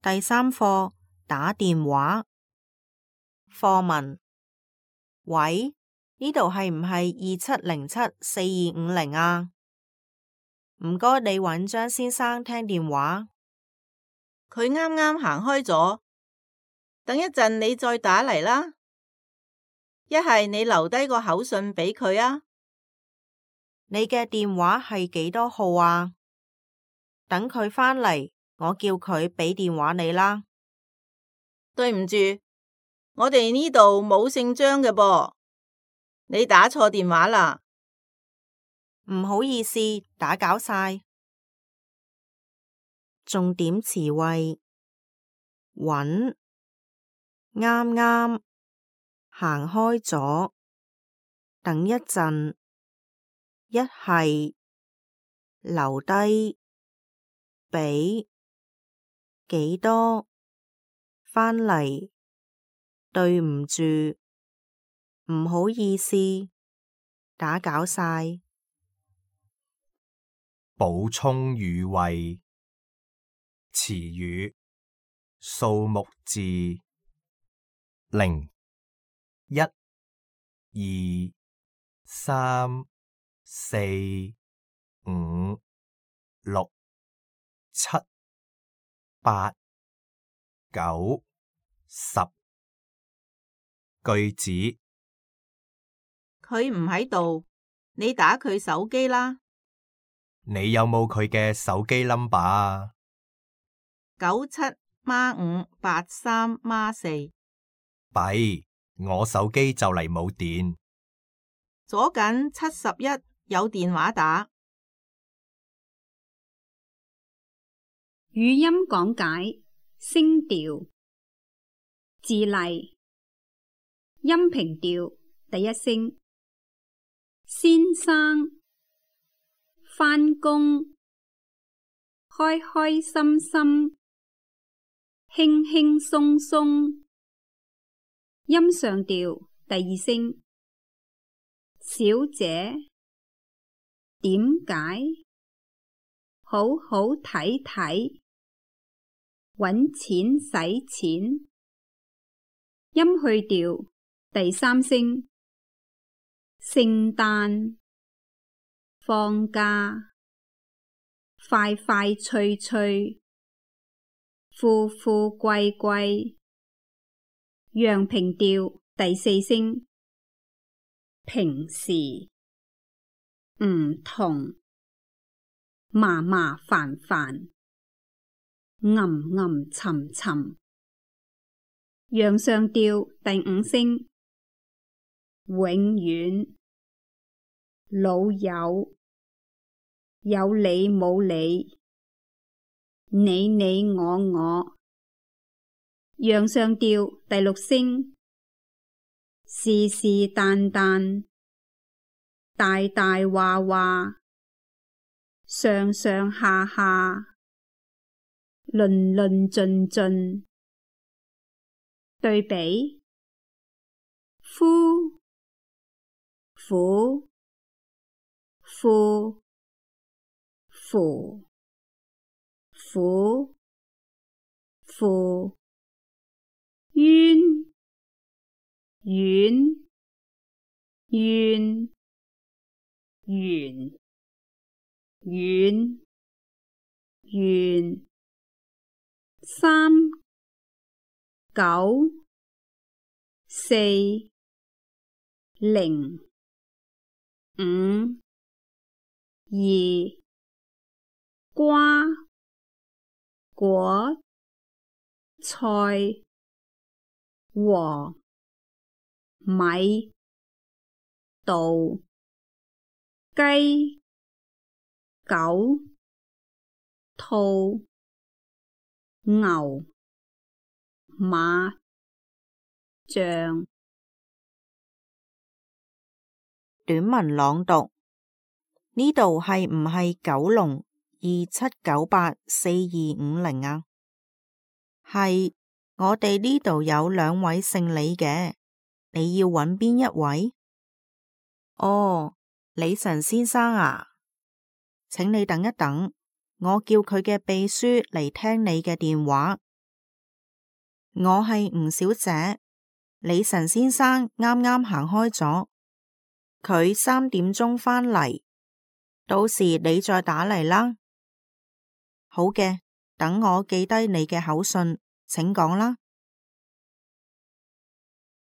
第3課打電話。課文：喂，呢度係唔係27074250啊？唔該，你搵張先生聽電話。佢啱啱行開咗，等一陣你再打嚟啦。一係你留低個口信俾佢啊。你嘅電話係幾多號啊？等佢返嚟，我叫佢俾電話你啦。對唔住，我哋呢度冇姓張嘅噃，你打錯電話啦。唔好意思，打攪晒。重點詞彙：搵、啱啱、行開咗、等一陣、一係、留低、俾、幾多、返嚟、對唔住、唔好意思、打攪晒。補充語彙：詞語、數目字0、1、2、3、4、5、6、7、8、9、10。句子：佢唔喺度，你打佢手機啦。你有冇佢嘅手機 number 啊？97×583×4。弊，我手機就嚟冇電。左緊71有電話打。語音講解：聲調、字例、音平調第一聲，先生、返工、開開心心、輕輕鬆鬆，音上調第二聲，小姐、點解、好好睇睇、搵錢使錢，音去調第三聲，聖誕、放假、快快脆脆、富富貴貴，陽平調第四聲，平時、唔同、麻麻煩煩、吟吟沉沉，陽上調第五聲，永遠、老友、有理冇理、你你我我，陽上調第六聲，是是但但、大大話話、上上下下、論論盡盡。對比：夫、婦、婦、扶、婦、父、冤、遠、怨、圓、遠、圓。3、9、4、0、5、2、瓜、果、菜、禾、米、稻、雞、狗、兔、牛、馬、象。短文朗讀。呢度係唔係九龍27984250啊？係，我哋呢度有2位姓李嘅，你要搵邊一位？哦，李晨先生啊，請你等一等，我叫佢嘅秘書嚟聽你嘅電話。我係吳小姐，李晨先生啱啱行開咗，佢3點鐘返嚟，到時你再打嚟啦。好嘅，等我記低你嘅口信，請講啦。